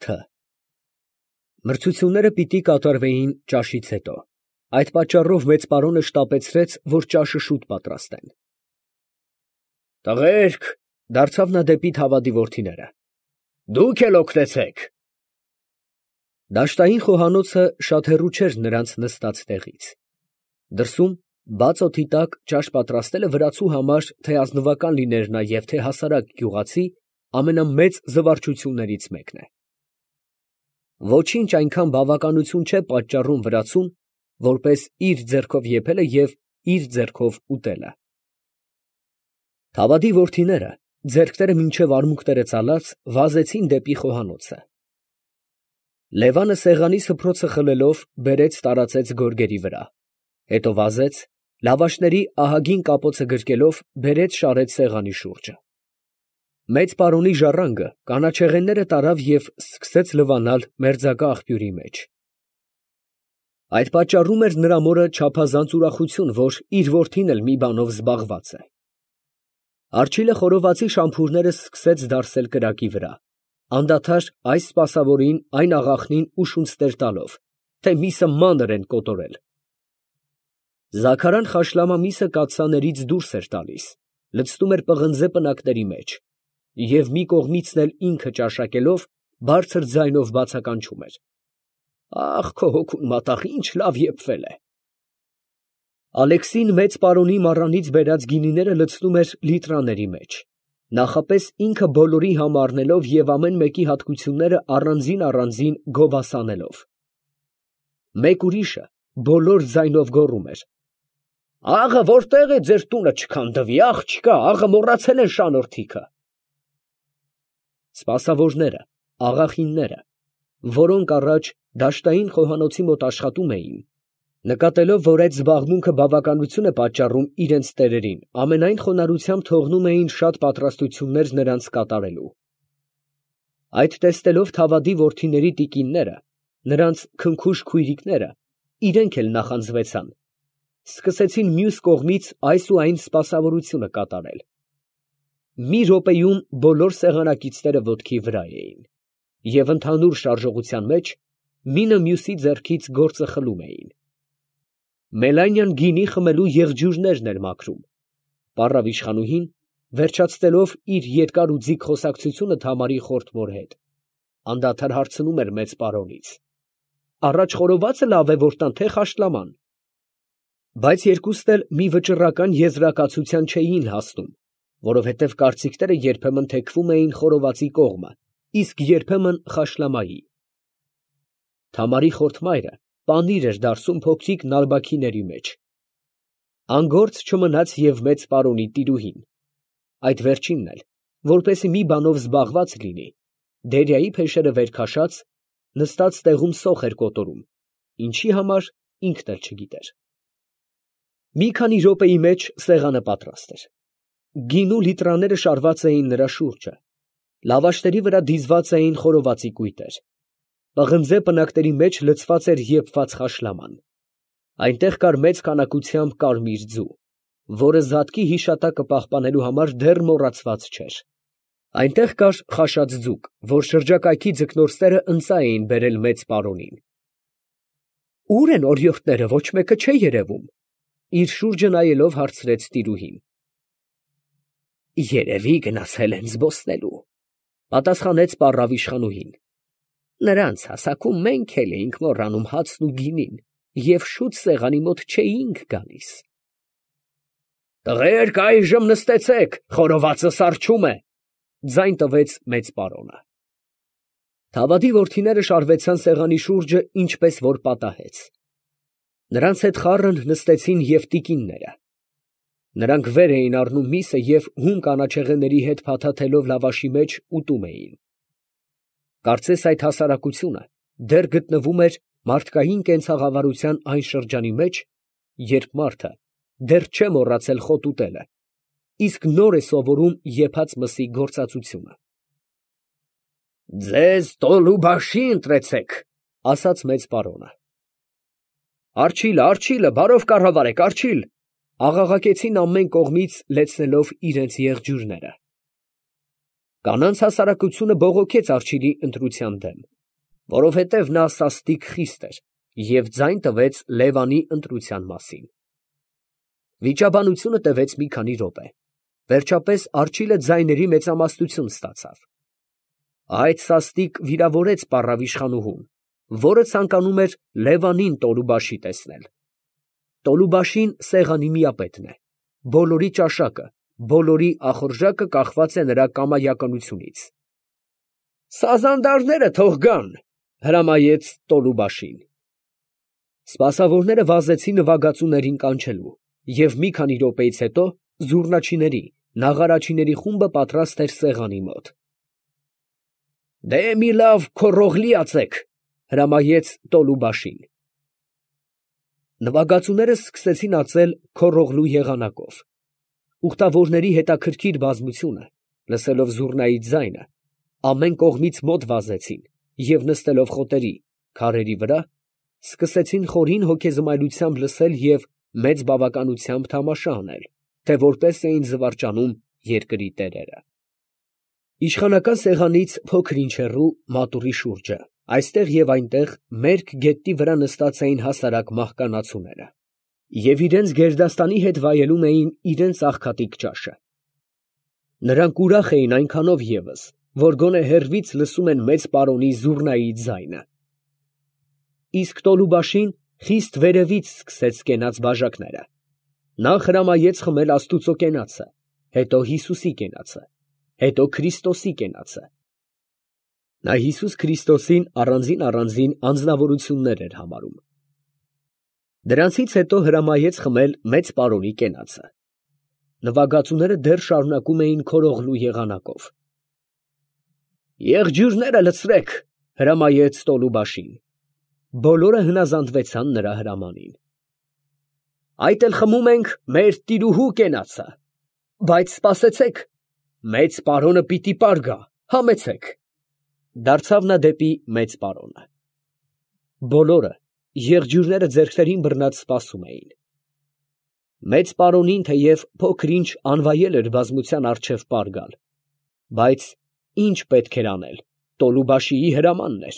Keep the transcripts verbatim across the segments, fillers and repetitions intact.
Թ. Մրցությունները պիտի կատարվեին ճաշից հետո, այդ պատճառով մեծ պարոնը շտապեցրեց, որ ճաշը շուտ պատրաստեն։ Տղերք, ֊ դարձավ նա դեպի Թավադի որդիները, ֊ դուք էլ օգնեցեք։ Դաշտային խոհանոցը շատ հեռու չէր նրանց նստած տեղից։ Դրսում, բաց օդի տակ ճաշ պատրաստելը վրացու համար թե ազնվական լիներ նա և թե հասարակ գյուղացի, ամենամեծ զվարճություններից մեկն է։ Ոչինչ այնքան բավականություն չէ պատճառում վրացուն, որպես իր ձեռքով եփելը և իր ձեռքով ուտելը։ Թավադի որդիները, ձեռքները մինչև արմունկները ծալած, վազեցին դեպի խոհանոցը։ Լևանը սեղանի սփռոցը խլելով, բերեց տարածեց գորգերի վրա, հետո վազեց, լավաշների ահագին կապոցը գրկելով, բերեց շարեց սեղանի շուրջը։ Մեծ պարոնի ժառանգը կանաչեղենները տարավ և սկսեց լվանալ մերձակա աղբյուրի մեջ։ Այդ պատճառում էր նրա մորը չափազանց ուրախություն, որ իր որդին էլ մի բանով զբաղված է։ Արջիլը խորովածի շամփուրները սկսեց դարսել կրակի վրա, անդադար այս սպասավորին, այն աղախնին ու շունցներ տալով, թե միսը մանր են կոտորել։ Զաքարան խաշլամա միսը կաթսաներից դուրս էր տալիս, լցնում էր պղնձե պնակների մեջ և մի կողմիցն էլ ինքը ճաշակելով, բարձր ձայնով բացականչում էր. «Ա՜խ, քո հոգուն մատաղ, ինչ լավ եփվել է»։ Ալեքսին մեծ պարոնի մառանից բերած գինիները լցնում էր լիտրաների մեջ, նախապես ինքը բոլորի համը առնելով և ամեն մեկի հատկությունները առանձին֊առանձին գովասանելով։ Մեկ ուրիշը բոլոր ձայնով գոռում էր. «Աղը ո՞րտեղ է ձեր տունը չքանդվի, աղջկա, աղը մոռացել են շանորթիքը»։ Սպասավորները, աղախինները, որոնք առաջ դաշտային խոհանոցի մոտ աշխատում էին, նկատելով, որ այդ զբաղմունքը բավականություն է պատճառում իրենց տերերին, ամենայն խոնարհությամբ թողնում էին շատ պատրաստություններ նրանց կատարելու։ Այդ տեսնելով Թավադի որդիների տիկինները, նրանց քնքուշ քույրիկները, իրենք էլ նախանձվեցան, սկսեցին մյուս կողմից այս ու այն սպասավորությունը կատարել։ Մի րոպեում բոլոր սեղանակիցները ոտքի վրա էին, և ընդհանուր շարժողության մեջ մինը մյուսի ձեռքից գործը խլում էին։ Մելանյան գինի խմելու եղջյուրներն էր մաքրում։ Պառավ իշխանուհին, վերջացնելով իր երկար ու ձիգ խոսակցությունը Թամարի խորթ մոր հետ, անդադար հարցնում էր մեծ պարոնից. «Առաջ խորովածը լավ է, որ տան, թե խաշլաման»։ Բայց երկուսն էլ մի վճռական եզրակացության չէին հասնում, որովհետև կարծիքները երբեմն թեքվում էին խորովածի կողմը, իսկ երբեմն խաշլամայի։ Թամարի խորթ մայրը պանիր էր դարսում փոքրիկ նալբաքիների մեջ։ Անգործ չմնաց և մեծ պարոնի տիրուհին, այդ վերջինն էլ, որպեսզի մի բանով զբաղված լինի, դերյայի փեշերը վեր քաշած, նստած տեղում սոխ էր կոտորում, ինչի համար ինքն էլ չգիտեր։ Մի քանի րոպեի մեջ սեղանը պատրաստ էր։ Գինու լիտրաները շարված էին նրա շուրջը, լավաշների վրա դիզված էին խորովածի կույտեր, պղնձե պնակների մեջ լցված էր եփված խաշլաման, այնտեղ կար մեծ քանակությամբ կարմիր ձու, որը զատկի հիշատակը պահպանելու համար դեռ մոռացված չէր, այնտեղ կար խաշած ձուկ, որ շրջակայքի ձկնորսները ընծա էին բերել մեծ պարոնին։ «Ո՞ւր են օրիորդները, ոչ մեկը չէ երևում», իր շուրջը նայելով հարցրեց տիրուհին։ «Երևի գնացել են զբոսնելու», պատասխանեց պառավ իշխանուհին։ «Նրանց հասակում մենք էլ էինք մոռանում հացն ու գինին և շուտ սեղանի մոտ չէինք գալիս»։ «Տղերք, այժմ նստեցեք, խորովածը սառչում է», ձայն տվեց մեծ պարոնը։ Թավադի որդիները շարվեցան սեղանի շուրջը, ինչպես որ պատահեց։ Նրանց հետ խառն նստեցին և տիկինները։ Նրանք վեր էին առնում միսը և հում կանաչեղենների հետ փաթաթելով լավաշի մեջ ուտում էին։ Կարծես այդ հասարակությունը դեռ գտնվում էր մարդկային կենցաղավարության այն շրջանի մեջ, երբ մարդը դեռ չէ մոռացել խոտ ուտելը, իսկ նոր է սովորում եփած մսի գործածությունը։ «Ձեզ տոլու բաշի ընտրեցեք», ասաց մեծ պարոնը։ «Արջիլը, արջիլը, բարով կառավարեք, արջիլ», աղաղակեցին ամեն կողմից լեցնելով իրենց եղջյուրները։ Կանանց հասարակությունը բողոքեց արջիլի ընտրության դեմ։ որովհետև նա սաստիկ խիստ էր և ձայն տվեց Լևանի ընտրության մասին։ Վիճաբանությունը տևեց մի քանի րոպե, վերջապես արջիլը ձայների մեծամասնություն ստացավ։ Այդ սաստիկ վիրավորեց պառավիշխանուհուն, որը ցանկանում էր Լևանին Տոլուբաշի տեսնել։ Տոլուբաշին սեղանի միապետն է, բոլորի ճաշակը, բոլորի ախորժակը կախված է նրա կամայականությունից։ «Սազանդարները թող գան», հրամայեց Տոլուբաշին։ Սպասավորները վազեցին նվագածուներին կանչելու, և մի քանի րոպեից հետո զուռնաչիների, նաղարաչիների խումբը պատրաստ էր սեղանի մոտ։ «Դե մի լավ քոռողլի ածեք», հրամայեց Տոլուբաշին։ Նվագածուները սկսեցին ածել քոռողլու եղանակով։ Ուխտավորների հետաքրքիր բազմությունը, լսելով զուռնայի ձայնը, ամեն կողմից մոտ վազեցին և նստելով խոտերի, քարերի վրա, սկսեցին խորին հոգեզմայլությամբ լսել և մեծ բավականությամբ թամաշա անել, թե որպես էին զվարճանում երկրի տերերը։ Իշխանական սեղանից փոքր ինչ հեռու, մատուռի շուրջը, այստեղ և այնտեղ մերկ գետնի վրա նստած էին հասարակ մահկանացուները և իրանց գերդաստանի հետ վայելում էին իրանց աղքատիկ ճաշը։ Նրանք ուրախ էին այնքանով ևս, որ գոնե հեռվից լսում են մեծ պարոնի զուռնայի ձայնը։ Իսկ Տոլուբաշին խիստ վերևից սկսեց կենաց բաժակները։ Նախ հրամայեց խմել աստուծո կենացը, հետո Հիսուսի կենացը, հետո Քրիստոսի կենացը։ Նա Հիսուս Քրիստոսին առանձին֊առանձին անձնավորություններ էր համարում։ Դրանցից հետո հրամայեց խմել մեծ պարոնի կենացը։ Նվագածուները դեռ շարունակում էին քորողլու եղանակով։ «Եղջյուրները լցրեք», հրամայեց Տոլուբաշին։ Բոլորը հնազանդվեցան նրա հրամանին։ «Այդ էլ խմում ենք մեր տիրուհու կենացը, բայց սպասեցեք, մեծ պարոնը պիտի պար գա, համեցեք», դարձավ նա դեպի մեծ պարոնը։ Բոլորը, եղջյուրները ձեռքներին բռնած, սպասում էին։ Մեծ պարոնին թեև փոքր ինչ անվայել էր բազմության առջև պար գալ, բայց ինչ պետք էր անել, Տոլուբաշիի հրամանն էր,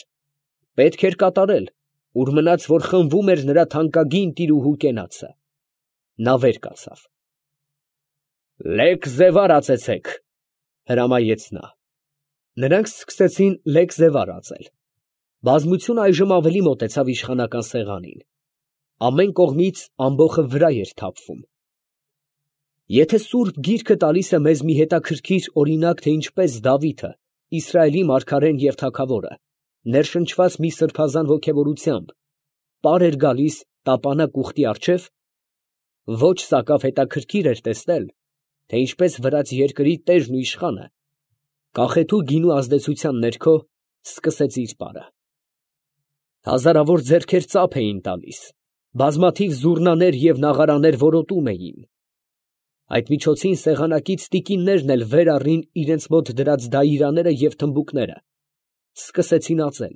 պետք էր կատարել, ուր մնաց, որ խմվում էր նրա թանկագին տիրուհու կենացը։ Նա վեր կացավ։ «Լեկ զևար ածեցեք», հրամայեց նա։ Նրանք սկսեցին լեկ զևար ածել։ Բազմությունը այժմ ավելի մոտեցավ իշխանական սեղանին։ Ամեն կողմից ամբոխը վրա էր թափվում։ Եթե սուրբ գիրքը տալիս է մեզ մի հետաքրքիր օրինակ, թե ինչպես Դավիթը, Իսրայելի մարգարեն և թագավորը, ներշնչված մի սրբազան ոգևորությամբ, պար էր գալիս տապանակ ուխտի առջև, ոչ սակավ հետաքրքիր էր տեսնել, թե ինչպես վրաց երկրի տերն ու իշխանը, կախեթու գինու ազդեցության ներքո, սկսեց իր պարը։ Հազարավոր ձեռքեր ծափ էին տալիս, բազմաթիվ զուռնաներ և նաղարաներ որոտում էին։ Այդ միջոցին սեղանակից տիկիններն էլ վեր առին իրենց մոտ դրած դայիրաները և թմբուկները, սկսեցին ածել։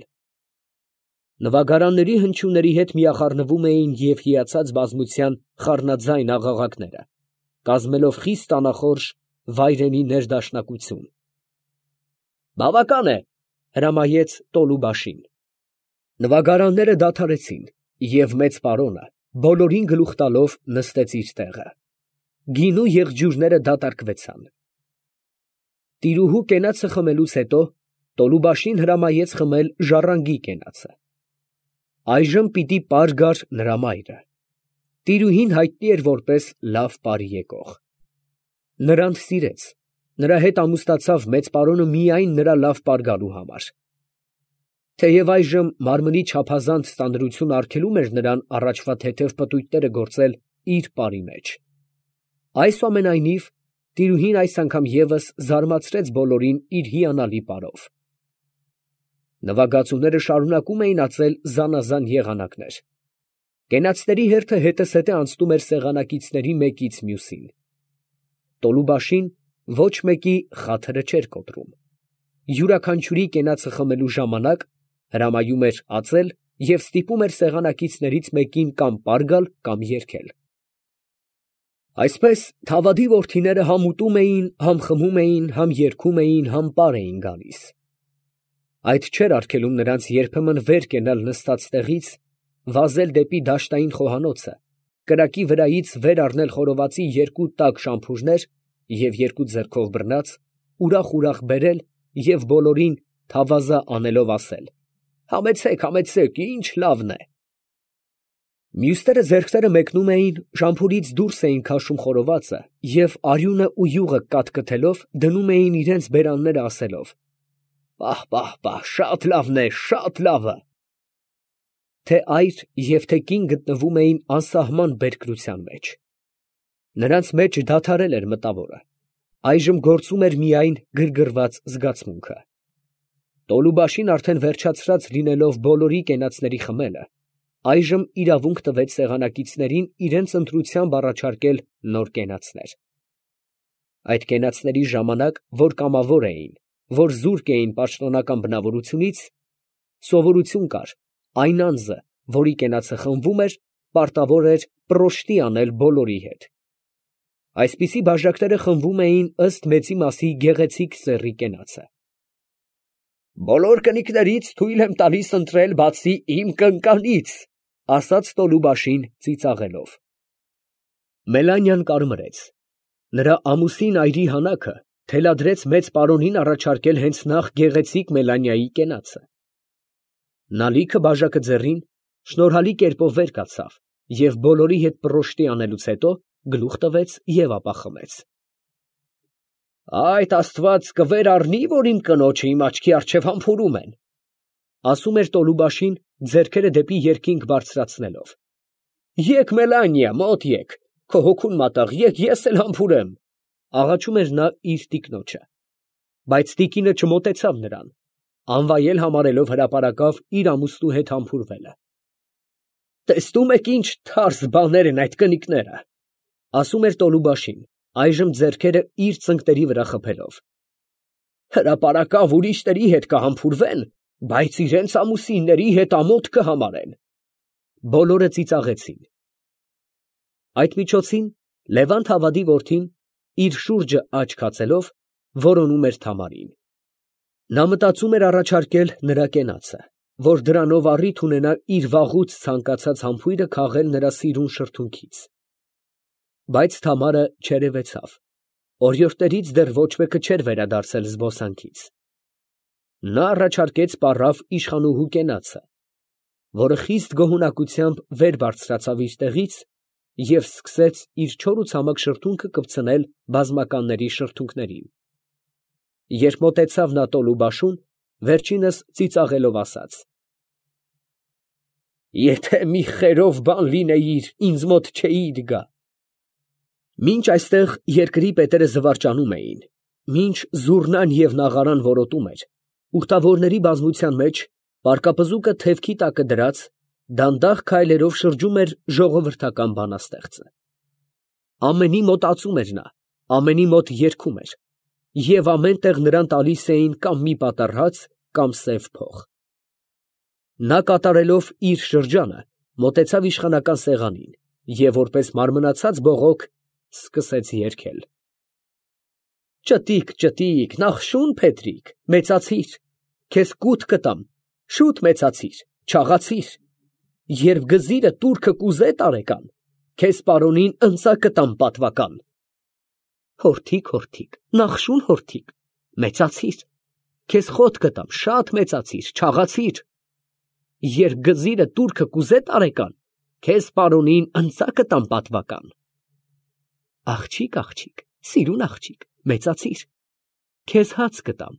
Նվագարանների հնչյունների հետ միախառնվում էին և հիացած բազմության խառնաձայն աղաղակները, կազմելով խիստ անախորժ վայրենի ներդաշնակություն։ «Բավական է», հրամայեց Տոլուբաշին։ Նվագարանները դադարեցին, և մեծ պարոնը, բոլորին գլուխ տալով, նստեց իր տեղը։ Գինու եղջյուրները դատարկվեցան։ Տիրուհու կենացը խմելուց հետո Տոլուբաշին հրամայեց խմել ժառանգի կենացը։ Այժմ պիտի պար գար նրա մայրը։ Տիրուհին հայտնի էր որպես լավ պար եկող։ Նրան սիրեց, նրա հետ ամուսնացավ մեծ պարոնը միայն նրա լավ պար գալու համար։ Թեև այժմ մարմնի չափազանց ծանրություն արգելում էր նրան առաջվա թեթև պտույտները գործել իր պարի մեջ։ Այսուամենայնիվ, տիրուհին այս անգամ ևս զարմացրեց բոլորին իր հիանալի պարով։ Նվագածուները շարունակում էին ածել զանազան եղանակներ։ Կենացների հերթը հետզհետե անցնում էր սեղանակիցների մեկից մյուսին։ Տոլուբաշին ոչ մեկի խաթրը չէր կոտրում։ Յուրաքանչյուրի կենացը խմելու ժամանակ հրամայում էր ածել և ստիպում էր սեղանակիցներից մեկին կամ պար գալ, կամ երգել։ Այսպես Թավադի որդիները համ ուտում էին, համ խմում էին, համ երգում էին, համ պար էին գալիս։ Այդ չէր արգելում նրանց երբեմն վեր կենալ նստած տեղից, վազել դեպի դաշտային խոհանոցը, կրակի վրայից վեր առնել խորովածի երկու տաք շամփուրներ և երկու ձեռքով բռնած, ուրախ֊ուրախ բերել և բոլորին թավազա անելով ասել. «Համեցեք, համեցեք, ինչ լավն է»։ Մյուսները ձեռքները մեկնում էին, շամփուրից դուրս էին քաշում խորովածը և արյունը ու յուղը կաթկթելով դնում էին իրենց բերանները ասելով. «Պահ, պահ, պահ, շատ լավն է, շատ լավը»։ Թե այր և թե կին գտնվում էին անսահման բերկրության մեջ։ Նրանց մեջ դադարել էր մտավորը, այժմ գործում էր միայն գրգռված զգացմունքը։ Տոլուբաշին արդեն վերջացրած լինելով բոլորի կենացների խմելը, այժմ իրավունք տվեց սեղանակիցներին իրենց ընտրությամբ առաջարկել նոր կենացներ։ Այդ կենացների ժամանակ, որ կամավոր էին, որ զուրկ էին պաշտոնական բնավորությունից, սովորություն կար այն անձը, որի կենացը խմվում էր, պարտավոր էր պրոշտի անել բոլորի հետ։ Այսպիսի բաժակները խմվում էին ըստ մեծի մասի գեղեցիկ սեռի կենացը։ «Բոլոր կնիկներից թույլ եմ տալիս ընտրել բացի իմ կնկանից», ասաց Տոլուբաշին ծիծաղելով։ Մելանյան կարմրեց։ Նրա ամուսին այրի հանակը թելադրեց մեծ պարոնին առաջարկել հենց նախ գեղեցիկ Մելանիայի կենացը։ Նա լիքը բաժակը ձեռին, շնորհալի կերպով վեր կացավ և բոլորի հետ պռոշտի անելուց հետո գլուխ տվեց և ապա խմեց։ «Այդ աստված կվեր առնի, որ իմ կնոջը իմ աչքի առջև համբուրում են», ասում էր Տոլուբաշին ձեռքերը դեպի երկինք բարձրացնելով։ «Եկ Մելանիա, մոտ եկ, քո հոգուն մատաղ, եկ ես էլ համբուրեմ», աղաչում էր նա իր տիկնոջը։ Բայց տիկինը չմոտեցավ նրան, անվայել համարելով հրապարակավ իր ամուսնու հետ համբուրվելը։ «Տեսնում եք ինչ թարս բաներ են այդ կնիկները», ասում էր Տոլուբաշին, այժմ ձեռքերը իր ծնկների վրա խփելով։ «Հրապարակավ ուրիշների հետ կհամբուրվեն, բայց իրենց ամուսինների հետ ամոթ կհամարեն»։ Բոլորը ծիծաղեցին։ Այդ միջոցին Լևանթ Հավադի որդին, իր շուրջը աչք հացելով, որոնում էր Թամարին։ Նա մտածում էր առաջարկել նրա կենացը, որ դրանով առիթ ունենա իր վաղուց ցանկացած համբույրը քաղել նրա սիրուն շրթունքից։ Բայց Թամարը չերևեցավ, օրիորդներից դեռ ոչ մեկը չէր վերադարձել զբոսանքից։ Նա առաջարկեց պառավ իշխանուհու կենացը, որը խիստ գոհունակությամբ վեր բարձրացավ իր տեղից և սկսեց իր չոր ու ցամաք շրթունքը կպցնել բազմականների շրթունքներին։ Երբ մոտեցավ նա Տոլուբաշուն, վերջինս ծիծաղելով ասաց. «Եթե մի խերով բան լինեիր, ինձ մոտ չէիր գա»։ Մինչ այստեղ երկրի պետերը զվարճանում էին, մինչ զուռնան և նաղարան որոտում էր, ուխտավորների բազմության մեջ պարկապզուկը թևքի տակը դրած, դանդաղ քայլերով շրջում էր ժողովրդական բանաստեղծը։ Ամենի մոտ ածում էր նա, ամենի մոտ երգում էր, և ամեն տեղ նրան տալիս էին կամ մի պատառ հաց, կամ սև փող։ Նա կատարելով իր շրջանը, մոտեցավ իշխանական սեղանին և որպես մարմնացած բողոք սկսեց երգել. «Ճտիկ, ճտիկ, նախշուն Փետրիկ, մեծացիր, քեզ կուտ կտամ, շուտ մեծացիր, չաղացիր, երբ գզիրը տուրքը կուզե տարեկան, քեզ պարոնին ընծա կտամ պատվական։ Հորթիկ, հորթիկ, նախշուն հորթիկ, մեծացիր, քեզ խոտ կտամ, շատ մեծացիր, չաղացիր, երբ գզիրը տուրքը կուզե տարեկան, քեզ պարոնին ընծա կտամ պատվական։ Աղջիկ, աղջիկ, սիրուն աղջիկ, մեծացիր, քեզ հաց կտամ,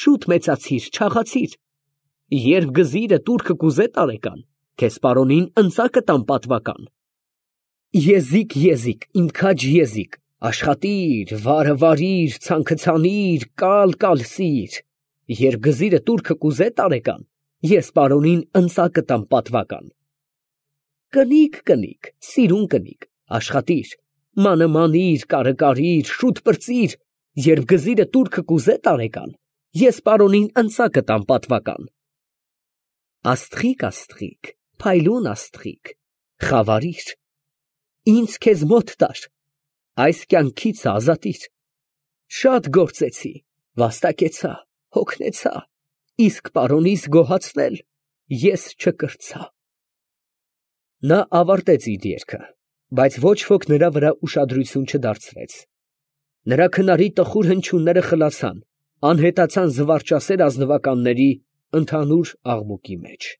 շուտ մեծացիր, չաղացիր, երբ գզիրը տուրքը կուզե տարեկան, քեզ պարոնին ընծա կտամ պատվական։ Եզիկ, եզիկ, իմ քաջ եզիկ, աշխատիր, վարը վարիր, ցանքը ցանիր, կալ կալսիր, երբ գզիրը տուրքը կուզե տարեկան, ես պարոնին ընծա կտամ պատվական։ Կնիկ, կնիկ, սիրուն կնիկ, աշխատիր, մանը մանիր, կարը կարիր, շուտ պրծիր, երբ գզիրը տուրքը կուզե տարեկան, ես պարոնին ընծա կտամ պատվական։ Աստղիկ, աստղիկ, փայլուն աստղիկ, խավարիր, ինձ քեզ մոտ տար, այս կյանքից ազատիր, շատ գործեցի, վաստակեցա, հոգնեցա, իսկ պարոնիս գոհացնել ես չկրծա։ Նա ավարտեց իր երգը, բայց ոչ ոք նրա վրա ուշադրություն չդարձրեց։ Նրա քնարի տխուր հնչյունները խլացան, անհետացան զվարճասեր ազնվականների ընդհանուր աղմուկի մեջ։